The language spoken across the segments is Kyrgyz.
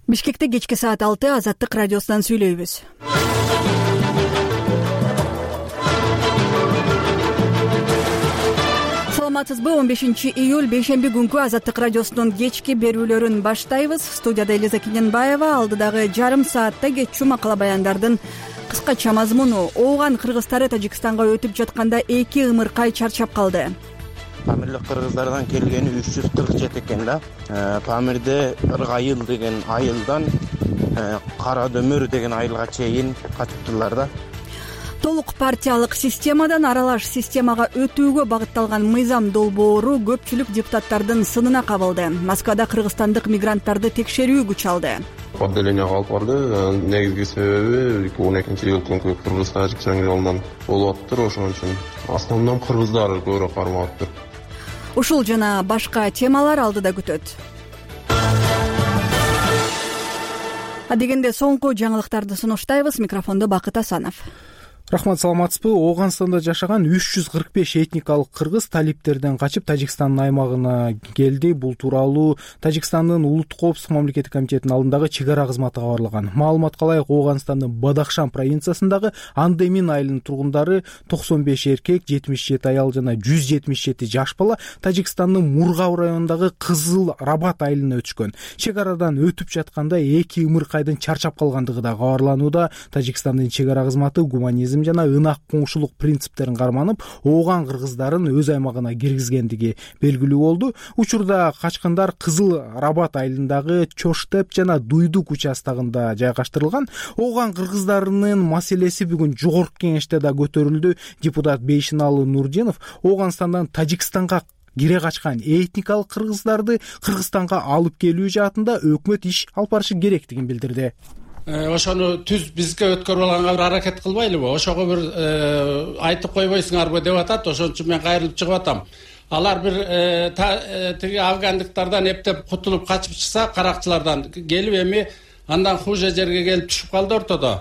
Бишкекте кечки саат 6 Азаттык радиосунан сүйлөйбүз. Саламатсызбы? 15-июль бейшемби күнкү Азаттык радиосунун кечки берүүлөрүн баштайбыз. Студияда Элиза Киненбаева. Алдыдагы жарым саатта кетчү макала баяндардын кыскача мазмуну. Ооган кыргыздары Тажикстанга өтүп жатканда 2 ымыркай чарчап калды. Памирлик кыргыздардан келгени 347 экен да. Памирде Ыргайыл деген айылдан Кара Дөмөр деген айылга чейин качыптылар да. Толук партиялык системадан аралаш системага өтүүгө багытталган мыйзам долбоору көпчүлүк депутаттардын сынына кабылды. Москвада кыргызстандык мигранттарды текшерүү күч алды. Отделенияга алып барды. Негизги себеби 2012-жылкы күнкү кыргыз-тажик жаңырылуунан болуп атыптыр. Ошон үчүн основном кыргыздар көбүрөөк кармап атыптыр. Ушул жана башка темалар алдыда күтөт. Адегенде соңку жаңылыктарды сунуштайбыз. Микрофондо Бакыт Асанов. Рахмат, саламатсызбы? Оогандстанда жашаган 345 этникалык кыргыз талиптерден качып Тажикстандын аймагына келди. Бул тууралуу Тажикстандын улуттук коопсуздук мамлекеттик комитетинин алдындагы чек ара кызматы кабарлаган. Маалыматка ылайык, Оогандстандын Бадахшан провинциясындагы Андемин айылынын тургундары 95 эркек, 77 аял жана 177 жаш бала Тажикстандын Мургав районундагы Кызыл Рабат айылына өтүшкөн. Чек арадан өтүп жатканда 2 ымыркайдын чарчап калгандыгы да кабарланууда. Тажикстандын чек ара кызматы гуманизм жана ынак коңшулук принциптерин карманып, ооган кыргыздарын өз аймагына киргизгендиги белгилүү болду. Учурда качкындар Кызыл Рабат айылындагы Чоштеп жана Дуйдук участогунда жайгаштырылган. Ооган кыргыздарынын маселеси бүгүн жогорку кеңеште да көтөрүлдү. Депутат Бейшиналы Нурдинов Оогандстандан Тажикстанга кире качкан этникалык кыргыздарды Кыргызстанга алып келүү жаатында өкмөт иш алып барышы керектигин билдирди. Ошону түз бизге өткөрүп алганга бир аракет кылбайлыбы? Ошого бир айтып койбойсуңарбы деп атат. Ошон үчүн мен кайрылып чыгып атам. Алар бир тиги афгандыктардан эптеп кутулуп качып чыкса, каракчылардан келип эми андан хуже жерге келип түшүп калды ортодо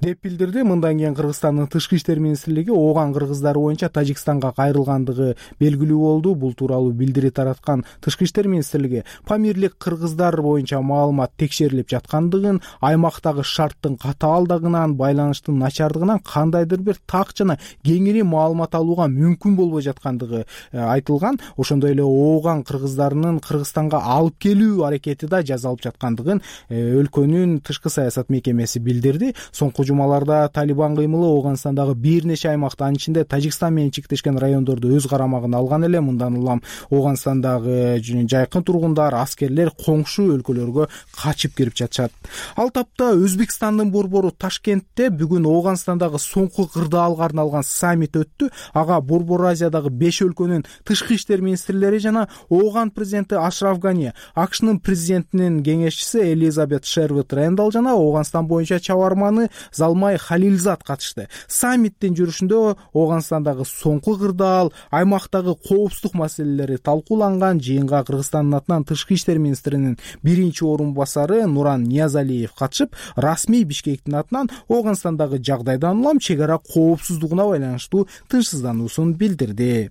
деп билдирди. Мындан кийин Кыргызстандын тышкы иштер министрлиги ооган кыргыздары боюнча Тажикстанга кайрылгандыгы белгилүү болду. Бул тууралуу билдири тараткан тышкы иштер министрлиги памирлик кыргыздар боюнча маалымат текшерилип жаткандыгын, аймактагы шарттын катаалдыгынан, байланыштын начардыгынан кандайдыр бир так жана кеңири маалымат алууга мүмкүн болбой жаткандыгы айтылган. Ошондой эле ооган кыргыздарынын Кыргызстанга алып келүү аракети да жасалып жаткандыгын өлкөнүн тышкы саясат мекемеси билдирди. Соңку жумаларда Талибан кыймылы Оогандстандагы бир нече аймакта, анын ичинде Тажикстан менен чектешкен райондорду өз карамагына алган эле. Мындан улам Оогандстандагы жайкын тургундар, аскерлер коңшу өлкөлөргө качып кирип жатышат. Ал тапта Өзбекстандын борбору Ташкентте бүгүн Оогандстандагы соңку кырдаалга арналган саммит өттү. Ага Борбор Азиядагы 5 өлкөнүн тышкы иштер министрлери жана Ооган президенти Ашраф Гани, АКШнын президентинин кеңешчиси Элизабет Шервуд Рэндалл жана Оогандстан боюнча чабарманы Залмай Халилзат катышты. Саммиттин жүрүшүндө Оогандстандагы соңку кырдаал, аймактагы коопсуздук маселелери талкууланган. Жыйынга Кыргызстандын атынан тышкы иштер министринин биринчи орун басары Нуран Ниязалиев катышып, расмий Бишкектин атынан Оогандстандагы жагдайдан улам чек ара коопсуздугуна байланыштуу тынчсыздануусун билдирди.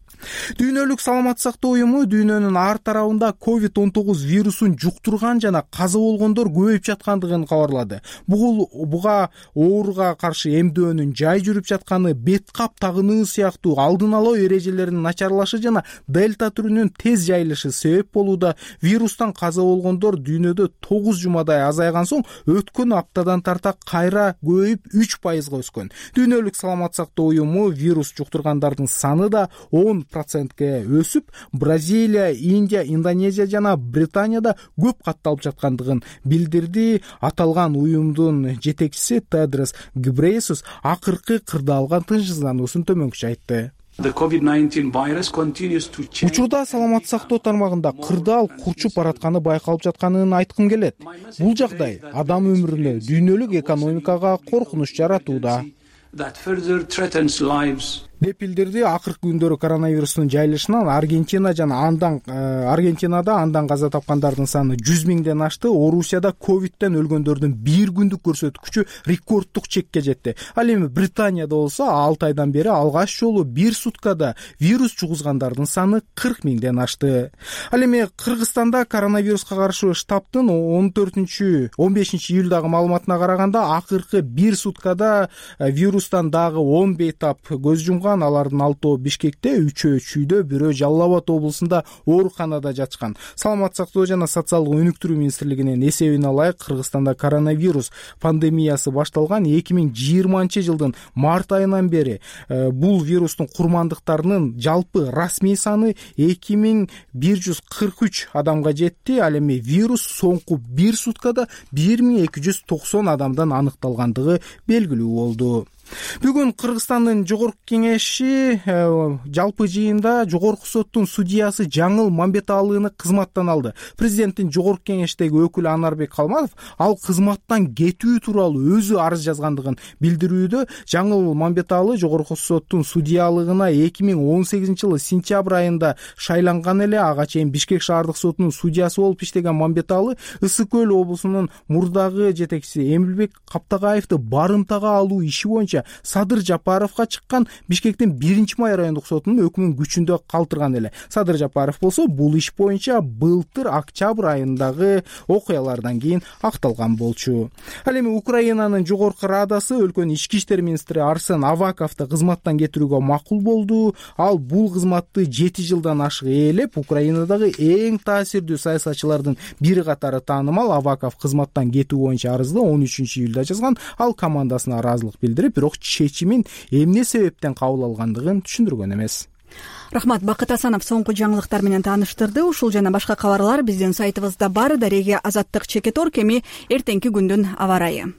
Дүйнөлүк саламаттык сактоо уюму дүйнөнүн ар тарабында COVID-19 вирусун жуктурган жана каза болгондор көбөйүп жаткандыгын кабарлады. Буга ооруга каршы эмдөөнүн жай жүрүп жатканы, бет кап тагынуу сыяктуу алдын алуу эрежелеринин начарлашы жана дельта түрүнүн тез жайылышы себеп болууда. Вирустан каза болгондор дүйнөдө 9 жумадай азайган соң өткөн аптадан тарта кайра көбөйүп 3%га өскөн. Дүйнөлүк саламаттык сактоо уюму вирус жуктургандардын саны да 10%ге өсүп, Бразилия, Индия, Индонезия жана Британияда көп катталып жаткандыгын билдирди. Аталган уюмдун жетекчиси Тедрос Гебрейесус акыркы кырдаалган тынчсыздануусун төмөнкүчө айтты. Учурда саламаттык сактоо тармагында кырдаал курчуп баратканы байкалып жатканын айткым келет. Бул жагдай адам өмүрүнө, дүйнөлүк экономикага коркунуч жаратууда. деп билдирди акыркы күндөрү коронавирустун жайылышынан Аргентинада андан каза тапкандардын саны 100 миңден ашты. Орусияда ковидтен өлгөндөрдүн бир күндүк көрсөткүчү рекорддук чекке жетти. Ал эми Британияда болсо 6 айдан бери алгач жолу бир суткада вирус жугузгандардын саны 40 миңден ашты. Ал эми Кыргызстанда коронавируска каршы штабтын 15 июлдагы маалыматына караганда акыркы бир суткада вирустан дагы 10 бейтап көз жумган. Алардын 6 Бишкекте, 3 Чүйдө, 1 Жалал Абад облусунда ооруканада жатышкан. Саламаттык сактоо жана социалдык өнүктүрүү министрлигинин эсебине ылайык Кыргызстанда коронавирус пандемиясы башталган 2020 жылдын март айынан бери бул вирустун курмандыктарынын жалпы расмий саны 2143 адамга жетти. Ал эми вирус соңку бир суткада 1290 адамдан аныкталгандыгы белгилүү болду. Бүгүн Кыргызстандын жогорку кеңеши жалпы жыйында жогорку соттун судьясы Жаңыл Мамбеталыны кызматтан алды. Президенттин жогорку кеңештеги өкүлү Анарбек Калматов ал кызматтан кетүү тууралуу өзү арыз жазгандыгын билдирүүдө. Жаңыл Мамбеталы жогорку соттун судьялыгына 2018 жылы сентябрь айында шайланган эле. Ага чейин Бишкек шаардык сотунун судьясы болуп иштеген Мамбеталы Ысык Көл облусунун мурдагы жетекчиси Эмилбек Каптагаевди барымтага алуу иши боюнча Садыр Жапаровго чыккан Бишкектин 1-май райондук сотунун өкмүн күчүндө калтырган эле. Садыр Жапаров болсо бул иш боюнча былтыр октябрь айындагы окуялардан кийин акталган болчу. Ал эми Украинанын жогорку радасы өлкөнүн ички иштер министри Арсен Аваковду кызматтан кетирүүгө макул болду. Ал бул кызматты 7 жылдан ашык ээлеп, Украинадагы эң таасирдүү саясатчылардын бири катары таанымал. Аваков кызматтан кетүү боюнча арызды 13 июлда жазган. Ал командасына ыраазылык билдирип, бирок чечимин эмне себептен кабыл алгандыгын түшүндүргөн эмес. Рахмат, Бакыт Асанов соңку жаңылыктар менен тааныштырды. Ушул жана башка кабарлар биздин сайтыбызда бар. Дареге Азаттык Чекеторг. Эми эртеңки күндүн аба ырайы.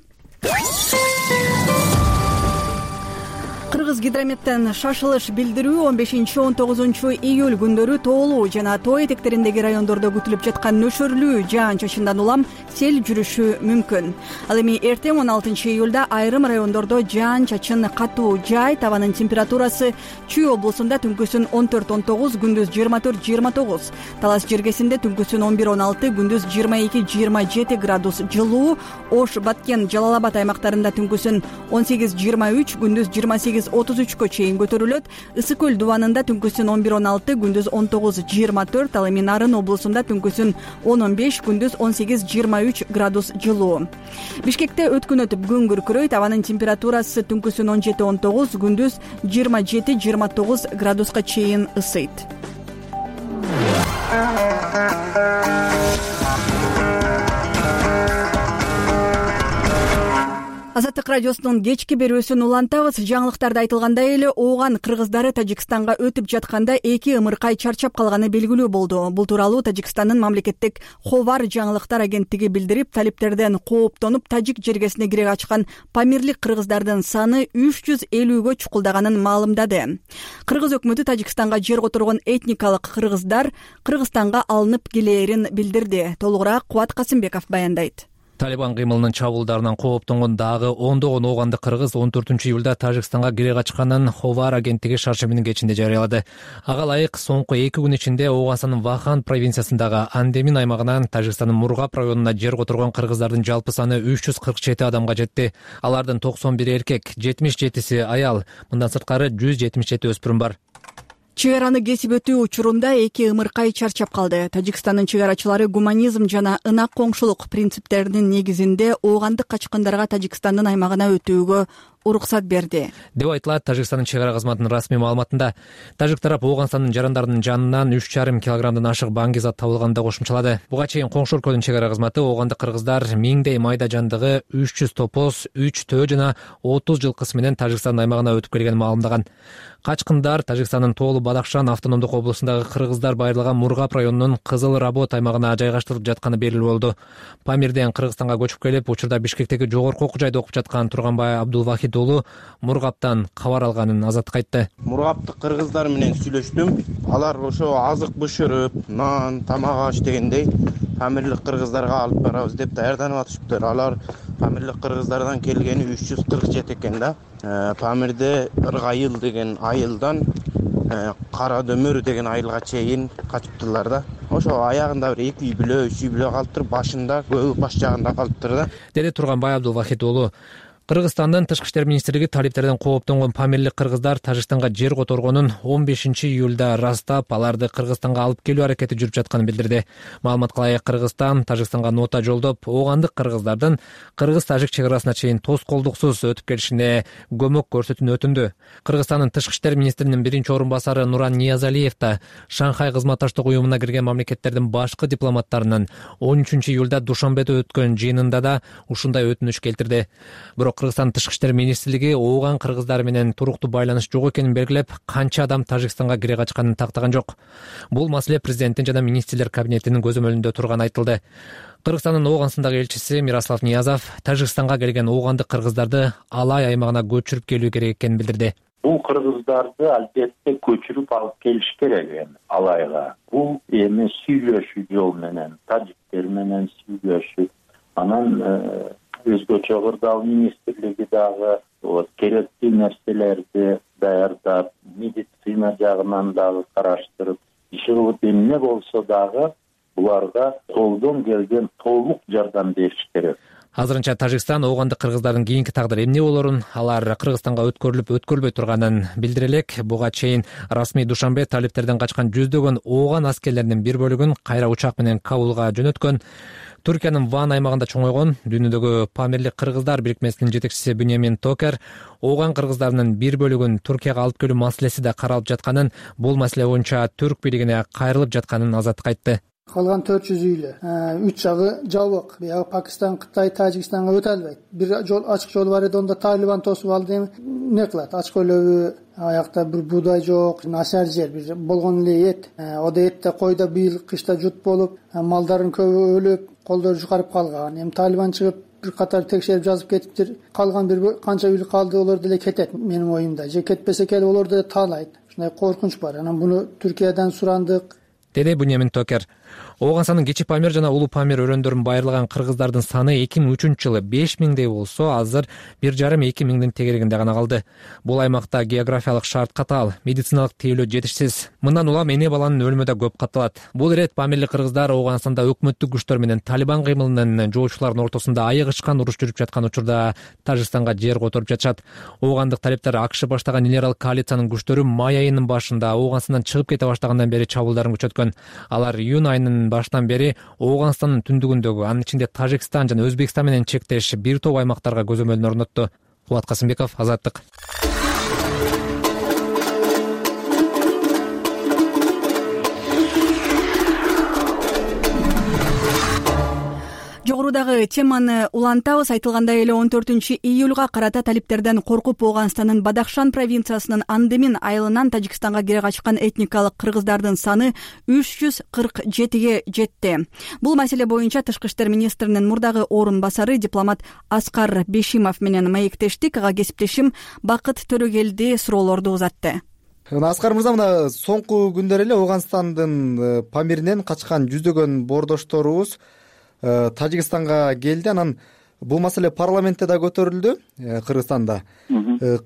Кыргыз гидрометтен шашылыш билдирүү 15-19 июль күндөрү тоолуу жана тоо этектериндеги райондордо күтүлүп жаткан нөшөрлүү жаан-чачындан улам сел жүрүшү мүмкүн. Ал эми эртең 16 июлда айрым райондордо жаан-чачын катуу жай, табанын температурасы Чүй облусунда түнкүсүн 14-19, күндүз 24-29, Талас жергесинде түнкүсүн 11-16, күндүз 22-27 градус жылуу, Ош, Баткен, Жалал Абад аймактарында түнкүсүн 18-23, күндүз 28-33 чейин көтөрүлөт. Ысык Көл дубанында түнкүсүн 11-16, күндүз 19-24, ал эми Нарын облусунда түнкүсүн 10-15, күндүз 18-23 градус жылуу. Бишкекте өткүн өтүп күн күркүрөйт, абанын температурасы түнкүсүн 17-19, күндүз 27-29 градуска чейин ысыйт. Азаттык радиосунун кечки берүүсүн улантабыз. Жаңылыктарда айтылгандай эле ооган кыргыздары Тажикстанга өтүп жатканда 2 ымыркай чарчап калганы белгилүү болду. Бул тууралуу Тажикстандын мамлекеттик Ховар жаңылыктар агенттиги билдирип, талиптерден кооптонуп тажик жергесине кире качкан памирлик кыргыздардын саны 350гө чукулдаганын маалымдады. Кыргыз өкмөтү Тажикстанга жер которгон этникалык кыргыздар Кыргызстанга алынып келээрин билдирди. Толугураак Кубат Касымбеков баяндайт. Талибан кыймылынын чабуулдарынан кооптонгон дагы ондогон оогандык кыргыз 14 июлда Тажикстанга кире качканын Ховар агенттиги шаршембинин кечинде жарыялады. Ага ылайык соңку 2 күн ичинде Ооганстандын Вахан провинциясындагы Андемин аймагынан Тажикстандын Мургап районуна жер которгон кыргыздардын жалпы саны 347 адамга жетти. Алардын 91 эркек, 77си аял, мындан сырткары 177 өспүрүм бар. Чек араны кесип өтүү учурунда 2 ымыркай чарчап калды. Тажикстандын чек арачылары гуманизм жана ынак коңшулук принциптеринин негизинде оогандык качкындарга Тажикстандын аймагына өтүүгө уруксат берди деп айтылат Тажикстандын чек ара кызматынын расмий маалыматында. Тажик тарап Ооганстандын жарандарынын жанынан 3,5 килограммдан ашык баңги зат табылганын да кошумчалады. Буга чейин коңшу өлкөнүн чек ара кызматы оогандык кыргыздар миңдей майда жандыгы 300 топоз, 3 төө жана 30 жылкысы менен Тажикстандын аймагына өтүп келгенин маалымдаган. Качкындар Тажикстандын Тоолу Бадахшан автономдук облусундагы кыргыздар байырылган Мургап районунун Кызыл Работ аймагына жайгаштырылып жатканы белгилүү болду. Памирден Кыргызстанга көчүп келип, учурда Бишкектеги жогорку окуу жайда окуп жаткан Турганбай Абдулвахид уулу Мургаптан кабар алганын Азаттык айтты. Мургаптык кыргыздар менен сүйлөштүм. Алар ошо азык бышырып, нан, тамак аш дегендей памирлик кыргыздарга алып барабыз деп даярданып атышыптыр. Алар Памирлик кыргыздардан келгени 347 экен да. Памирде Ыргайыл деген айылдан Кара Дөмөр деген айылга чейин качыптылар да. Ошо аягында бир 2 үй бүлө, 3 үй бүлө калыптыр, башында көбү баш жагында калыптыр да. Деди Турганбай Абдулвахит уулу. Кыргызстандын Тышкы иштер министрлиги талиптерден кооптонгон памирлик кыргыздар Тажикстанга жер которгонун 15-июлда ырастап, аларды Кыргызстанга алып келүү аракети жүрүп жатканын билдирди. Маалыматка ылайык, Кыргызстан Тажикстанга нота жолдоп, оогандык кыргыздардын кыргыз-тажик чек арасына чейин тоскоолдуксуз өтүп келишине көмөк көрсөтүүнү өтүндү. Кыргызстандын Тышкы иштер министринин биринчи орун басары Нуран Ниязалиев да Шанхай кызматташтык уюмуна кирген мамлекеттердин башкы дипломаттарынын 13-июлда Душанбеде өткөн жыйынында да ушундай өтүнүч келтирди. Бирок Кыргызстан Тышкы иштер министрлиги ооган кыргыздар менен туруктуу байланыш жок экенин белгилеп, канча адам Тажикстанга кире качканын тактаган жок. Бул маселе президенттин жана министрлер кабинетинин көзөмөлүндө турганы айтылды. Кыргызстандын Ооганстандагы элчиси Мирослав Ниязов Тажикстанга келген оогандык кыргыздарды Алай аймагына көчүрүп келүү керек экенин билдирди. Бул кыргыздарды албетте көчүрүп алып келиш керек Алайга. Бул эми сүйлөшүү жол менен, тажиктер менен сүйлөшүп, анан өзгөчө кырдаал министрлиги дагы керектүү нерселерди даярдап, медицина жагынан дагы караштырып, иши кылып эмне болсо дагы буларга колдон келген толук жардам бериш керек. Азырынча Тажикстан оогандык кыргыздардын кийинки тагдыры эмне болорун, алар Кыргызстанга өткөрүлүп өткөрбөй турганын билдире элек. Буга чейин расмий Душанбе талиптерден качкан жүздөгөн ооган аскерлеринин бир бөлүгүн кайра учак менен Кабулга жөнөткөн. Түркиянын Ван аймагында чоңойгон дүйнөдөгү памирлик кыргыздар бирикмесинин жетекчиси Буньямин Токер ооган кыргыздарынын бир бөлүгүн Түркияга алып келүү маселеси да каралып жатканын, бул маселе боюнча Түрк бийлигине кайрылып жатканын азаттыкка айтты. Калган 400 үйлө 3 жагы жабык. Бияга Пакистан, Кытай, Тажикстанга өтө албайт. Бир жол ачык жол бар эди, онда Талибан тосуп алды. Эмне кылат? Ачык өлөбү, аякта бир буудай жок, начар жер, бир болгон эле эт. Ода этте койда быйыл кышта жут болуп, малдардын көбү өлүп, колдору жукарып калган. Эми Талибан чыгып бир катар текшерип жазып кетиптир. Калган бир канча үй калды, олор деле кетет менин оюмда. Же кетпесе келе олор деле таалайт. Ушундай коркунуч бар. Анан буну Түркиядан сурандык, деди Буньямин Токер. Ооганстандын Кечи Памир жана Улуу Памир өрөөндөрүн байырлаган кыргыздардын саны 2003-жылы 5000дей болсо, азыр 1,5-2 миңдин тегерегинде гана калды. Бул аймакта географиялык шарт катаал, медициналык тейлөө жетишсиз. Мындан улам эне баланын өлүмү да көп катталат. Бул ирет памирлик кыргыздар Ооганстанда өкмөттүк күчтөр менен Талибан кыймылынын жоочулардын ортосунда айыгышкан уруш жүрүп жаткан учурда Тажикстанга жер которуп жатышат. Оогандык талиптер АКШ баштаган нелералык коалициянын күчтөрү май айынын башында Ооганстандан чыгып кете баштагандан бери чабуулдарын күчөткөн. Алар июнь айынын баштан бери Ооганстандын түндүгүндөгү, анын ичинде Тажикстан жана Өзбекстан менен чектеш бир топ аймактарга көзөмөлүн орнотту. Кубат Касымбеков, Азаттык. Жогорудагы теманы улантабыз. Айтылгандай эле 14-июлга карата талиптерден коркуп Ооганстандын Бадахшан провинциясынын Андемин айылынан Тажикстанга кире качкан этникалык кыргыздардын саны 347ге жетти. Бул маселе боюнча Тышкы иштер министринин мурдагы орун басары дипломат Аскар Бешимов менен маектештик. Ага кесиптешим Бакыт Төрөгелди суроолорду узатты. Аскар мырза, мына соңку күндөр эле Ооганстандын Памиринен качкан жүздөгөн боордошторубуз Тажикстанга келди. Анан бул маселе парламентте да көтөрүлдү, Кыргызстанда.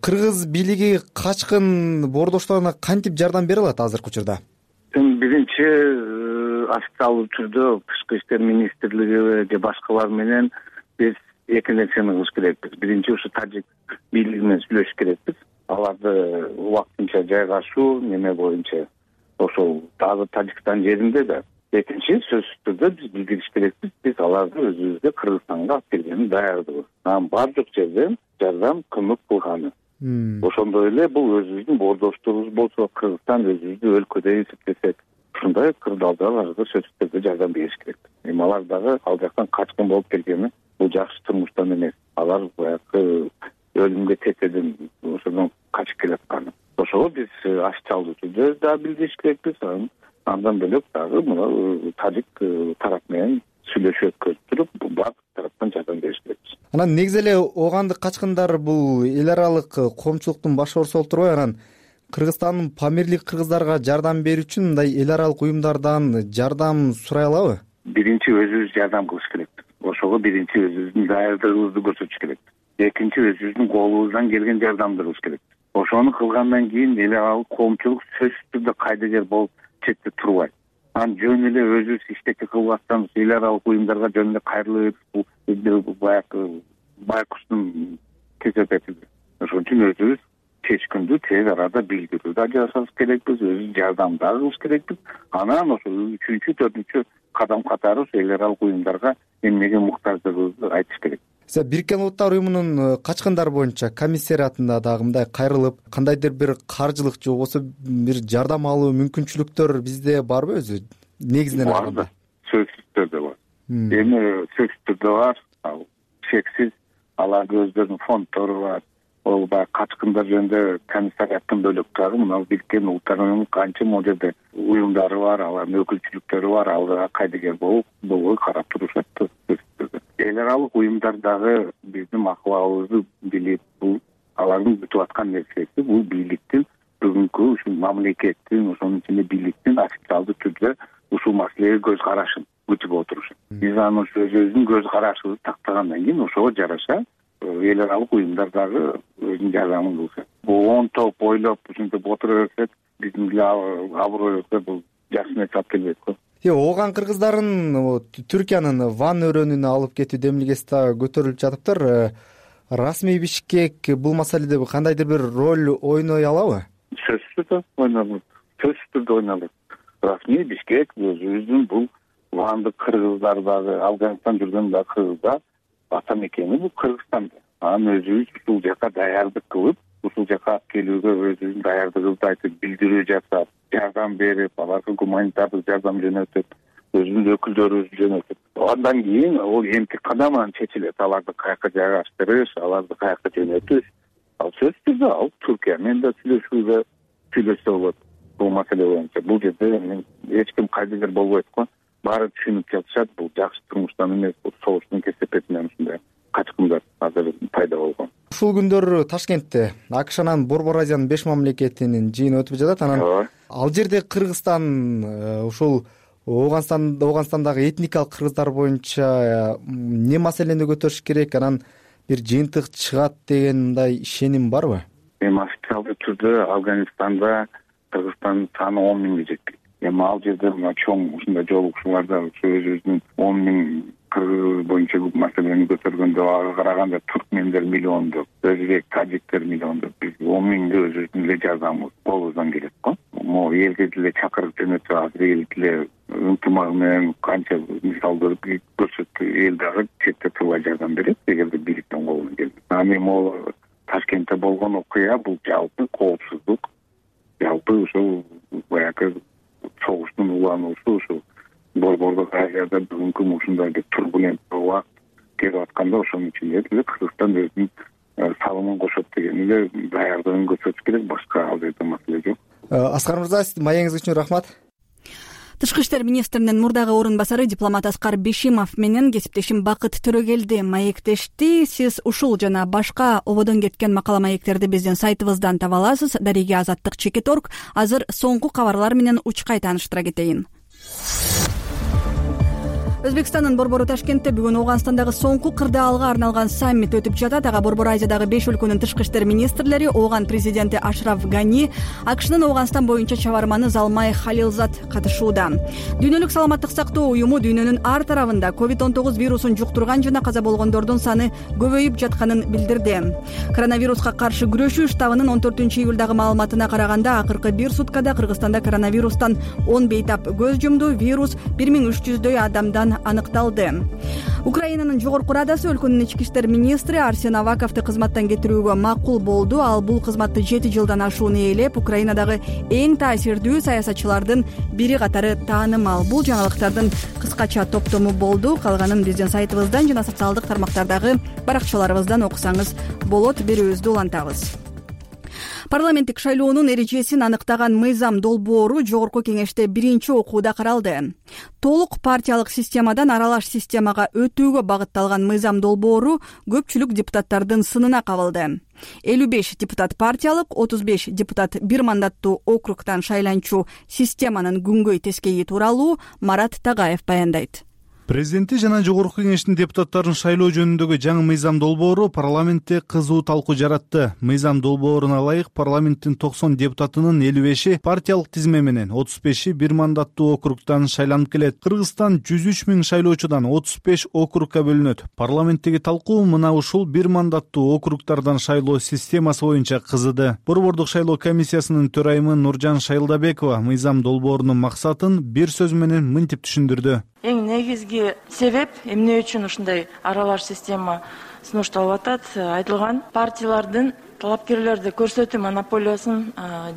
Кыргыз бийлиги качкын боордошторуна кантип жардам бере алат азыркы учурда? Биринчи официалдуу түрдө Тышкы иштер министрлиги же башкалар менен биз эки нерсени кылыш керекпиз. Биринчи, ушу тажик бийлиги менен сүйлөшүш керекпиз. Аларды убактынча жайгашуу неме боюнча ошол дагы Тажикстан жеринде да. Экинчи, сөзсүз түрдө биз билдириш керекпиз, биз аларды өзүбүздө Кыргызстанга алып келгенин даярдыгыбыз. Анан баардык жерден жардам көмөк кылганы. Ошондой эле бул өзүбүздүн боордошторубуз болсо, Кыргызстан өзүбүздүн өлкөдө эсептесек, ушундай кырдаалдарга сөзсүз түрдө жардам бериш керек. Эми алар дагы ал жактан качкын болуп келгени бул жакшы турмуштан эмес. Алар баягы өлүмгө тетеден ошодон качып келатканы. Ошого биз официалдуу түрдө да билдириш керекпиз. Андан бөлөк дагы мына тажик тарап менен сүйлөшүү өткөрүп туруп, баардык тараптан жардам бериш керекпиз. Анан негизи эле оогандык качкындар бул эл аралык коомчулуктун баш оорусу болуп турбайбы? Анан Кыргызстандын памирлик кыргыздарга жардам берүү үчүн мындай эл аралык уюмдардан жардам сурай алабы? Биринчи өзүбүз жардам кылыш керекпиз. Ошого ошого биринчи өзүбүздүн даярдыгыбызды көрсөтүш керек, экинчи өзүбүздүн колубуздан келген жардамды кылыш керек. Ошону кылгандан кийин эле ал коомчулук сөзсүз түрдө кайдыгер болуп четте турбайт. Анан жөн эле өзүбүз иштеки кылбастан эл аралык уюмдарга жөн эле кайрылып, бул баягы байкуштун кесепети. Ошон үчүн өзүбүз чечкиндүү тез арада билдирүү да жасаш керекпиз, өзүбүз жардам да кылыш керекпиз. Анан ошо үчүнчү, төртүнчү кадам катары эл аралык уюмдарга эмнеге муктаждыгыбызды айтыш керек. Бириккен Улуттар уюмунун качкындар боюнча комиссариатында дагы мындай кайрылып, кандайдыр бир каржылык же болбосо бир жардам алуу мүмкүнчүлүктөр бизде барбы өзү? Негизинен бар, сөзсүз түрдө бар. Эми сөзсүз түрдө бар, ал чексиз, алардын өздөрүнүн фонддору бар. Ол баягы качкындар жөнүндө комиссариаттын бөлөктөрү, мына Бириккен Улуттар уюмунун канча могу жерде уюмдары бар, алардын өкүлчүлүктөрү бар, аларга кайдыгер болуп карап турушат. Эл аралык уюмдар дагы биздин макулабыбызды билип, бул алардын бүтүп аткан нерсеси, бул бийликтин бүгүнкү ушул мамлекеттин, ошонун ичинде бийликтин официалдуу түрдө ушул маселеге көз карашын күтүп отурушат. Биз аны өзүбүздүн көз карашыбызды тактагандан кийин ошого жараша эл аралык уюмдар дагы өзүнүн жардамын кылышат. Бул онтоп ойлоп ушинтип отура берсек, биздин эле аброюбузга бул жакшы нерсе алып келбейт го. Ооган кыргыздарын Түркиянын Ван өрөөнүнө алып кетүү демилгеси дагы көтөрүлүп жатыптыр. Расмий Бишкек бул маселеде кандайдыр бир роль ойной алабы? Сөзсүз түрдө ойнолот. Расмий Бишкек өзүбүздүн бул вандык кыргыздар дагы, Афганистан жүргөн дагы кыргыздар ата мекени бул Кыргызстанда. Анан өзүбүз ушул жака даярдык кылып, ушул жака алып келүүгө өзүбүздүн даярдыгыбызды айтып, билдирүү жасап, жардам берип, аларга гуманитардык жардам жөнөтүп, өзүбүздүн өкүлдөрүбүздү жөнөтүп, андан кийин ол эмки кадам менен чечилет. Аларды каяка жайгаштырыш, аларды каяка жөнөтүш. Ал сөзсүз түрдө ал Түркия менен да сүйлөшсө болот бул маселе боюнча. Бул жерде эч ким кайдыгер болбойт го. Баары түшүнүп жатышат, бул жакшы турмуштан эмес, бул согуштун кесепетинен ушундай качкындар азыр пайда болгон. Ушул күндөр Ташкентте АКШ анан Борбор Азиянын 5 мамлекетинин жыйыны өтүп жатат. Анан ал жерде Кыргызстан ушул Оогандагы этникалык кыргыздар боюнча эмне маселени көтөрүш керек, анан бир жыйынтык чыгат деген мындай ишеним барбы? Эми официалдуу түрдө Афганистанда Кыргызстандын саны 10 миңге жетпейт. Эми ал жерде мына чоң ушундай жолугушууларда өзүбүздүн 10 миң кыргыз боюнча бул маселени көтөргөндө ага караганда түркмендер миллиондоп, өзбек, тажиктер миллиондоп, биз 10 миңге өзүбүздүн эле жардамыбыз колубуздан келет го. Могу элге деле чакырып жөнөтүп, азыр эл деле ынтымагы менен канча мисалды көрсөттү, эл дагы четте турбай жардам берет, эгерде бийликтин колунан келет. Анан могу Ташкентте болгон окуя бул жалпы коопсуздук, жалпы ушул баягы согуштун улануусу, ушул Борбордук Азияда бүгүнкү ушундай бир турбуленттүү убакыт келип атканда, ошонун ичинде деле Кыргызстан өзүнүн салымын кошот деген эле даярдыгын көрсөтүш керек, башка ал жерде маселе жок. Аскар мырза, сиздин маегиңиз үчүн рахмат. Тышкы иштер министринин мурдагы орун басары дипломат Аскар Бишимов менен кесиптешим Бакыт Төрөгелди маектешти. Сиз ушул жана башка ободон кеткен макала маектерди биздин сайтыбыздан таба аласыз. Дареги Азаттык Чекит.орг. Азыр соңку кабарлар менен учкай тааныштыра кетейин. Өзбекстандын борбору Ташкентте бүгүн Ооганстандагы соңку кырдаалга арналган саммит өтүп жатат. Ага Борбор Азиядагы 5 өлкөнүн тышкы иштер министрлери, Ооган президенти Ашраф Гани, АКШнын Ооганстан боюнча чабарманы Залмай Халилзад катышууда. Дүйнөлүк саламаттык сактоо уюму дүйнөнүн ар тарабында COVID-19 вирусун жуктурган жана каза болгондордун саны көбөйүп жатканын билдирди. Коронавируска каршы күрөшүү штабынын 14-июлдагы маалыматына караганда, акыркы бир суткада Кыргызстанда коронавирустан 10 бейтап көз жумду. Вирус 1300дөй адамдан аныкталды. Украинанын жогорку радасы өлкөнүн ички иштер министри Арсен Аваковду кызматтан кетирүүгө макул болду. Ал бул кызматты 7 жылдан ашууну ээлеп, Украинадагы эң таасирдүү саясатчылардын бири катары таанымал. Бул жаңылыктардын кыскача топтому болду. Калганын биздин сайтыбыздан жана социалдык тармактардагы баракчаларыбыздан окусаңыз болот. Берүүбүздү улантабыз. Парламенттик шайлоонун эрежесин аныктаган мыйзам долбоору жогорку кеңеште биринчи окууда каралды. Толук партиялык системадан аралаш системага өтүүгө багытталган мыйзам долбоору көпчүлүк депутаттардын сынына кабылды. 55 депутат партиялык, 35 депутат бир мандаттуу округтан шайланчу системанын күнгөй тескейи тууралуу Марат Тагаев баяндайт. Президенти жана жогорку кеңештин депутаттарын шайлоо жөнүндөгү жаңы мыйзам долбоору парламентте кызуу талкуу жаратты. Мыйзам долбооруна ылайык парламенттин 90 депутатынын 55-и партиялык тизме менен, 35-и бир мандаттуу округтан шайланып келет. Кыргызстан 103 000 шайлоочудан 35 округка бөлүнөт. Парламенттеги талкуу мына ушул бир мандаттуу округтардан шайлоо системасы боюнча кызыды. Борбордук шайлоо комиссиясынын төрайымы Нуржан Шайылдабекова мыйзам долбоорунун максатын бир сөз менен мынтип түшүндүрдү. Эң негизги себеп эмне үчүн ушундай аралаш система сунушталып атат? Айтылган партиялардын талапкерлерди көрсөтүү монополиясын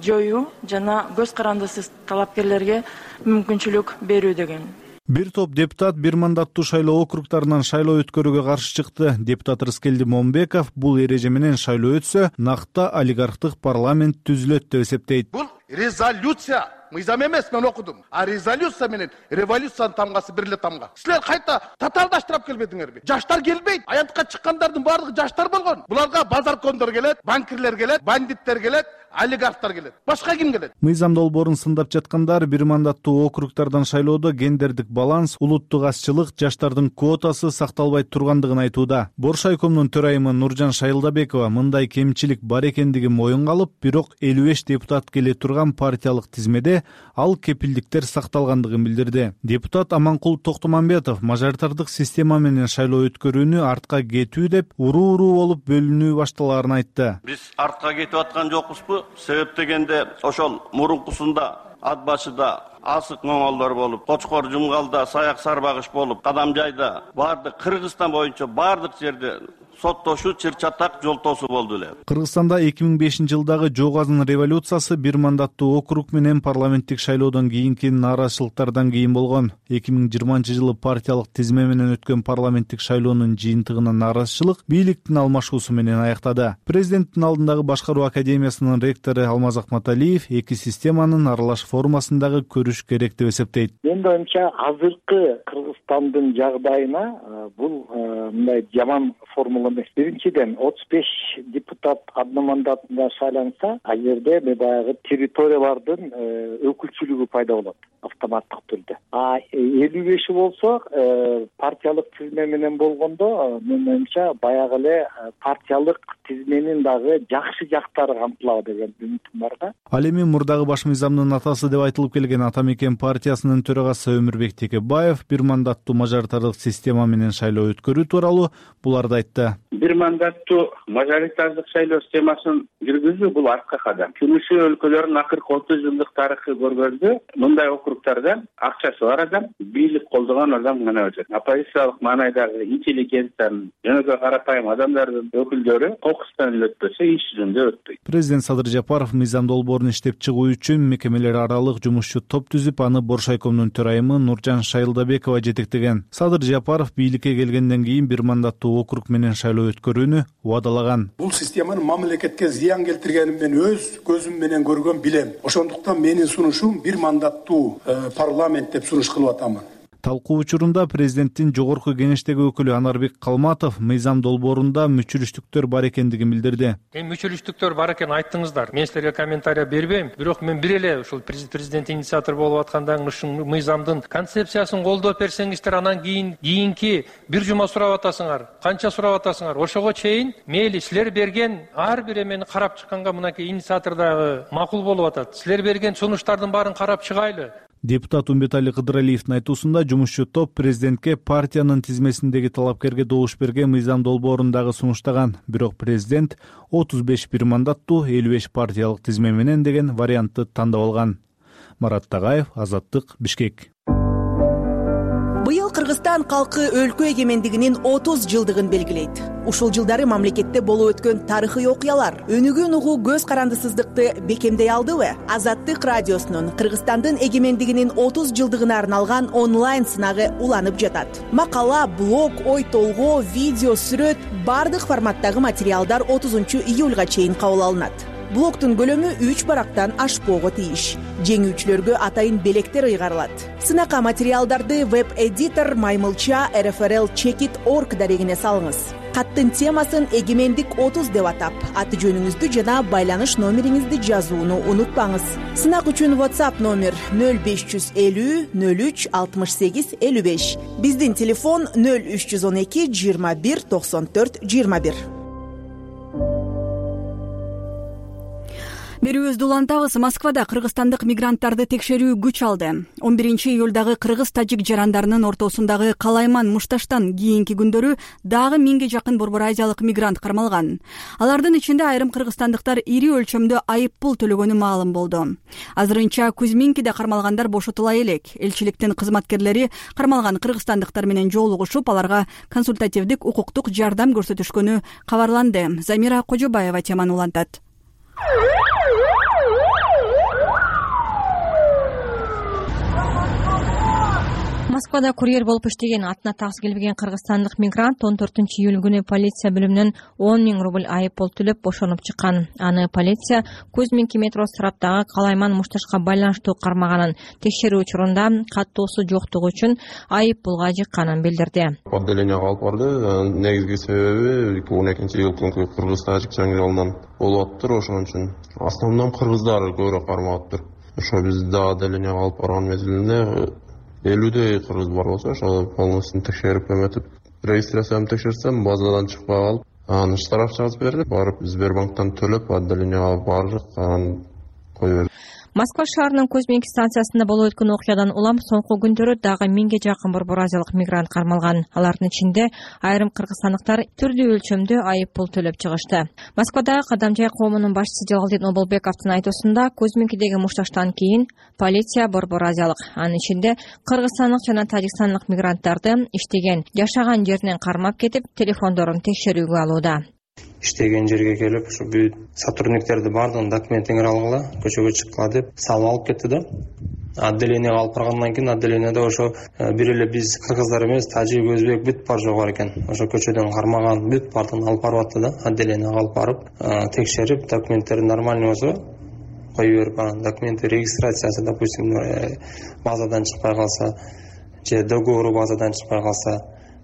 жоюу жана көз карандысыз талапкерлерге мүмкүнчүлүк берүү деген. Бир топ депутат бир мандаттуу шайлоо округтарынан шайлоо өткөрүүгө каршы чыкты. Депутат Рыскелди Момбеков бул эреже менен шайлоо өтсө, накта олигархтык парламент түзүлөт деп эсептейт. Бул резолюция мыйзам эмес, мен окудум. А резолюция менен революциянын тамгасы бир эле тамга. Силер кайта татаалдаштырып келбедиңерби? Жаштар келбейт. Аянтка чыккандардын баардыгы жаштар болгон. Буларга базаркондор келет, банкирлер келет, бандиттер келет, олигархтар келет. Башка ким келет? Мыйзам долбоорун сындап жаткандар бир мандаттуу округтардан шайлоодо гендердик баланс, улуттук азчылык, жаштардын квотасы сакталбай тургандыгын айтууда. Боршайкомдун төрайымы Нуржан Шайылдабекова мындай кемчилик бар экендигин моюнга алып, бирок 55 депутат келе турган партиялык тизмеде ал кепилдиктер сакталгандыгын билдирди. Депутат Аманкул Токтомамбетов мажоритардык система менен шайлоо өткөрүүнү артка кетүү деп уруу-уруу болуп бөлүнүү башталаарын айтты. Биз артка кетип аткан жокпузбу? Себеп дегенде ошол мурункусунда ат башыда асык моңолдор болуп, Кочкор Жумгалда саяк сарбагыш болуп, Кадамжайда баардык Кыргызстан боюнча баардык жерде соттошуу, чыр-чатак жолтосу болду эле. Кыргызстанда 2005-жылдагы Жок Азын революциясы бир мандаттуу округ менен парламенттик шайлоодон кийинки нааразычылыктардан кийин болгон. 2020-жылы партиялык тизме менен өткөн парламенттик шайлоонун жыйынтыгына нааразычылык бийликтин алмашуусу менен аяктады. Президенттин алдындагы башкаруу академиясынын ректору Алмаз Акматалиев эки системанын аралаш формасындагы көрүш керек деп эсептейт. Менин оюмча азыркы Кыргызстандын жагдайына бул мындай жаман формула эмес. Биринчиден 35 депутат одномандатында шайланса, ал жерде баягы территориялардын өкүлчүлүгү пайда болот автоматтык түрдө. А 55 болсо, партиялык тизме менен болгондо, менин оюмча баягы эле партиялык тизменин дагы жакшы жактары камтылабы деген үмүтүм бар да. Ал эми мурдагы баш мыйзамдын атасы деп айтылып келген Ата Мекен партиясынын төрагасы Өмүрбек Текебаев бир мандаттуу мажоритардык система менен шайлоо өткөрүү тууралуу буларды айтты. Бир мандаттуу мажоритардык шайлоо системасын жүргүзүү бул артка кадам. Жумушу өлкөлөрдүн акыркы 30 жылдык тарыхы көргөздө мындай округдардан акчасы бар адам, бийлик колдогон адам гана өтөт. Оппозициялык маанайдагы интеллигенциянын жөнөкөй карапайым адамдардын өкүлдөрү кокустан өтпөсө иш жүзүндө өтпөйт. Президент Садыр Жапаров мыйзам долбоорун иштеп чыгуу үчүн мекемелер аралык жумушчу топ түзүп, аны Боршайкомдун төрайымы Нуржан Шайылдабекова жетектеген. Садыр Жапаров бийликке келгенден кийин бир мандаттуу округ менен шайлоо өткөрүүнү убадалаган. Бул системанын мамлекетке зыян келтиргенин мен өз көзүм менен көргөн билем. Ошондуктан менин сунушум бир мандаттуу парламент деп сунуш кылып атамын. Талкуу учурунда президенттин жогорку кеңештеги өкүлү Анарбек Калматов мыйзам долбоорунда мүчүрүштүктөр бар экендигин билдирди. Мүчүрүштүктөр бар экенин айттыңыздар. Мен силерге комментарий бербейм. Бирок мен бир эле ушул президент инициатор болуп атканда ушул мыйзамдын концепциясын колдоп берсеңиздер, анан кийинки бир жума сурап атасыңар. Канча сурап атасыңар? Ошого чейин мейли силер берген ар бир эмени карап чыкканга мынакей инициатордагы макул болуп атат. Силер берген сунуштардын баарын карап чыгайлы. Депутат Умбетали Кыдыралиевдин айтуусунда жумушчу топ президентке партиянын тизмесиндеги талапкерге добуш берген мыйзам долбоорун дагы сунуштаган. Бирок президент 35 бир мандаттуу 55 партиялык тизме менен деген вариантты тандап алган. Марат Тагаев, Азаттык, Бишкек. Быйыл Кыргызстан калкы өлкө эгемендигинин 30 жылдыгын белгилейт. Ушул жылдары мамлекетте болуп өткөн тарыхый окуялар өнүгүүн угуу көз карандысыздыкты бекемдей алдыбы? Азаттык радиосунун Кыргызстандын эгемендигинин 30 жылдыгына арналган онлайн сынагы уланып жатат. Макала, блог, ой толгоо, видео, сүрөт бардык форматтагы материалдар 30 июлга чейин кабыл алынат. блоктун көлөмү 3 барактан ашпоого тийиш. Жеңүүчүлөргө атайын белектер ыйгарылат. Сынакка материалдарды веб-эдитор Маймылча rfrl-checkit.org дарегине салыңыз. Каттын темасын эгемендик 30 деп атап, аты жөнүңүздү жана байланыш номериңизди жазууну унутпаңыз. Сынак үчүн WhatsApp номер 0550 03 68 55. Биздин телефон 0312 21 94 21. Берүүбүздү улантабыз. Москвада кыргызстандык мигранттарды текшерүү күч алды. 11-июлдагы кыргыз-тажик жарандарынын ортосундагы калайман мушташтан кийинки күндөрү дагы 1000ге жакын борбор азиялык мигрант кармалган. Алардын ичинде айрым кыргызстандыктар ири өлчөмдө айып пул төлөгөнү маалым болду. Азырынча Кузьминкиде кармалгандар бошотула элек. Элчиликтин кызматкерлери кармалган кыргызстандыктар менен жолугушуп, аларга консультативдик укуктук жардам көрсөтүшкөнү кабарланды. Замира Кожобаева теманы улантат. Москвада курьер болуп иштеген атына такс келбеген кыргызстандык мигрант 14-июль күнү полиция бөлүмүнөн 10 000 рубль айып пул төлөп бошонуп чыккан. Аны полиция Кузьминки метро сараптагы калайман мушташка байланыштуу кармаганын, текшерүү учурунда каттоосу жоктугу үчүн айып пулга жыкканын билдирди. Отделенияга алып барды. Негизги себеби 12-июль күнкү кыргыз-тажик жаңы жолунан болуп атыптыр. Ошон үчүн основном кыргыздар көбүрөөк кармап атыптыр. Ошо бизди отделенияга алып барган мезгилинде 50 кыргыз бар болсо, ошол полностью текшерип эметип, регистрацияны текшерсем, базадан чыкпай калып, анан штраф жазып берди. Барып Сбербанктан төлөп, отделенияга бардык, анан кое берди. Москва шаарынын Кузьминки станциясында болуп өткөн окуядан улам соңку күндөрү дагы 1000ге жакын борбор азиялык мигрант кармалган. Алардын ичинде айрым кыргызстандыктар түрдүү өлчөмдө айып пул төлөп чыгышты. Москвадагы Кадамжай коомунун башчысы Жалалдин Оболбековдун айтуусунда, Кузьминкидеги мушташтан кийин полиция борбор азиялык, анын ичинде кыргызстандык жана тажикстандык мигранттарды иштеген, жашаган жеринен кармап кетип, телефондорун текшерүүгө алууда. Иштеген жерге келип, ушу бүт сотрудниктерди бардыгын документиңер алгыла, көчөгө чыккыла деп салып алып кетти да. Отделенияга алып баргандан кийин отделенияда ошо бир эле биз кыргыздар эмес, тажик, өзбек бүт бар жок бар экен. Ошо көчөдөн кармаган бүт бардыгын алып барып атты да. Отделенияга алып барып, текшерип, документтери нормальный болсо кое берип, документи регистрациясы, допустим, базадан чыкпай калса, же договору базадан чыкпай калса,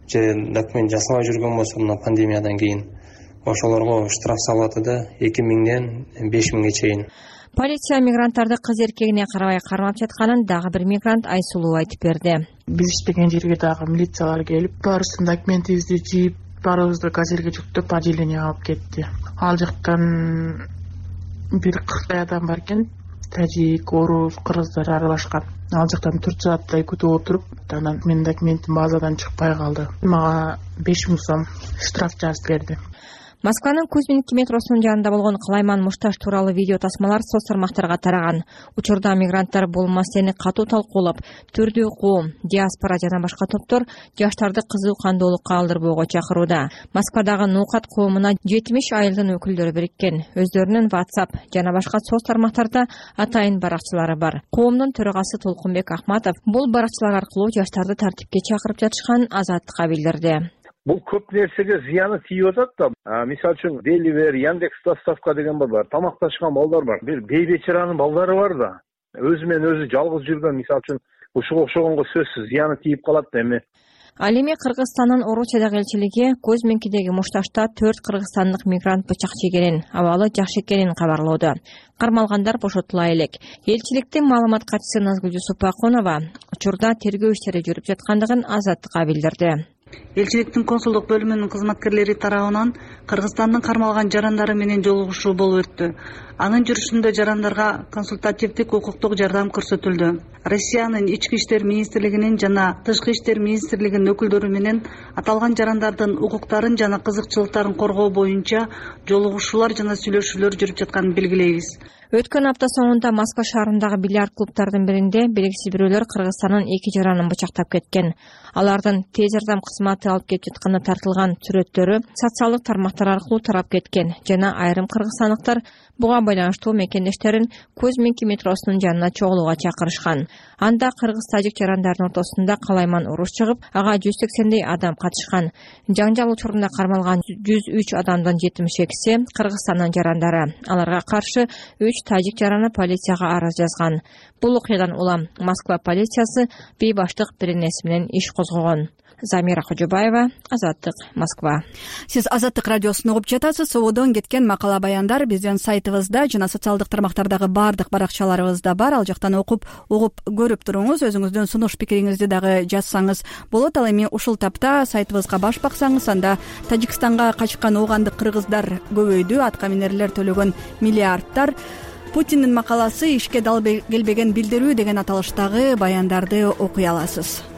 же документ жасабай жүргөн болсо, мына пандемиядан кийин ошолорго штраф салып да 2000ден 5000ге чейин. Полиция мигранттарды кыз эркегине карабай кармап жатканын дагы бир мигрант Айсулуу айтып берди. Биз иштеген жерге дагы милициялар келип, баарыбыздын документибизди жийип, баарыбызды газелге жүктөп, отделенияга алып кетти. Ал жактан бир 40 адам бар экен, тажик, орус, кыргыздар аралашкан. Ал жактан 4 сааттай күтүп отуруп, анан менин документим базадан чыкпай калды. Мага 5000 сом штраф жазып берди. Москванын Кузьминки метросунун жанында болгон калайман мушташ тууралуу видео тасмалар соц тармактарга тараган. Учурда мигранттар бул маселени катуу талкуулап, түрдүү коом, диаспора жана башка топтор жаштарды кызуу кандоолукка алдырбоого чакырууда. Москвадагы Нукат коомуна 70 айылдын өкүлдөрү бириккен. Өздөрүнүн WhatsApp жана башка соц тармактарда атайын баракчылары бар. Коомдун төрагасы Толкунбек Ахматов бул баракчалар аркылуу жаштарды тартипке чакырып жатышкан Азаттыкка билдирди. Бул көп нерсеге зыяны тийип атат да. Мисалы үчүн Деливер, Яндекс доставка деген бар. Тамакташкан балдар бар. Бир бейбечаранын балдары бар да. Өзү менен өзү жалгыз жүргөн, мисалы үчүн ушуга окшогонго сөзсүз зыяны тийип калат да эми. Ал эми Кыргызстандын Орусиядагы элчилиги Кузьминкидеги мушташта 4 кыргызстандык мигрант бычак жегенин, абалы жакшы экенин кабарлоодо. Кармалгандар бошотула элек. Элчиликтин маалымат катчысы Назгүл Жусупакунова учурда тергөө иштери жүрүп жаткандыгын Азаттыкка билдирди. Элчиликтин консулдук бөлүмүнүн кызматкерлери тарабынан Кыргызстандын кармалган жарандары менен жолугушуу болуп өттү. Анын жүрүшүндө жарандарга консультативдик укуктук жардам көрсөтүлдү. Россиянын Ички иштер министрлигинин жана Тышкы иштер министрлигинин өкүлдөрү менен аталган жарандардын укуктарын жана кызыкчылыктарын коргоо боюнча жолугушуулар жана сүйлөшүүлөр жүрүп жатканын белгилейбиз. Өткөн апта соңунда Москва шаарындагы бильярд клубтардын биринде белгисиз бирөөлөр Кыргызстандын 2 жаранын бычактап кеткен. Алардын тез жардам кызматы алып келип жатканда тартылган сүрөттөрү социалдык тармактар аркылуу тарап кеткен жана айрым кыргызстандыктар буга байланыштуу мекендештерин Кузьминки метросунун жанына чогулууга чакырышкан. Анда кыргыз-тажик жарандардын ортосунда калайман уруш чыгып, ага 180дей адам катышкан. Жаңжал учурунда кармалган 103 адамдын 72си Кыргызстандын жарандары. Аларга каршы 3 тажик жараны полицияга арыз жазган. Бул окуядан улам Москва полициясы бейбаштык беренеси менен иш козгогон. Замира Кожобаева, Азаттык, Москва. Сиз Азаттык радиосун угуп жатасыз. Сободон кеткен макала баяндар биздин сайтыбызда жана социалдык тармактардагы баардык баракчаларыбызда бар. Ал жактан угуп көрүп туруңуз. Өзүңүздүн сунуш пикириңизди дагы жазсаңыз болот. Ал эми ушул тапта сайтыбызга баш баксаңыз, анда Тажикстанга качкан оогандык кыргыздар көбөйдү, атка минерлер төлөгөн миллиардтар, Путиндин макаласы ишке дал келбеген билдирүү деген аталыштагы баяндарды окуй аласыз.